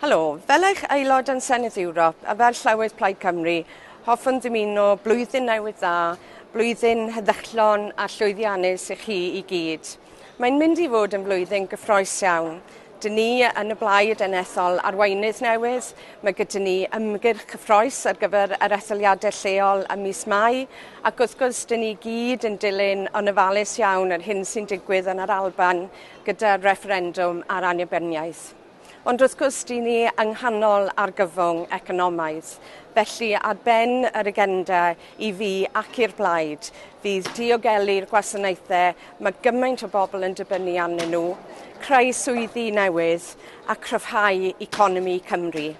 Helo, fel eich aelod yn Senedd Ewrop a fel Llywydd Plaid Cymru, hoffwn ddymuno blwyddyn newydd dda, blwyddyn heddychlon a llwyddiannus i chi i gyd. Mae'n mynd i fod yn flwyddyn gyffrous iawn. Dyn ni yn y blaid yn ethol arweinydd newydd, mae gyda ni ymgyrch cyffrous ar gyfer yr etholiadau lleol ym mis Mai, ac wrth gwrs dyn ni gyd yn dilyn yn ofalus iawn yr hyn sy'n digwydd yn yr Alban gyda'r refferendwm ar annibyniaeth. Ond wrth gwrs, dyn ni yng nghanol argyfwng economaidd. Felly ar ben yr agenda i fi ac i'r blaid fydd diogelu'r gwasanaethau mae gymaint o bobl yn dibynnu arnyn nhw, creu swyddi newydd a cryfhau economi Cymru.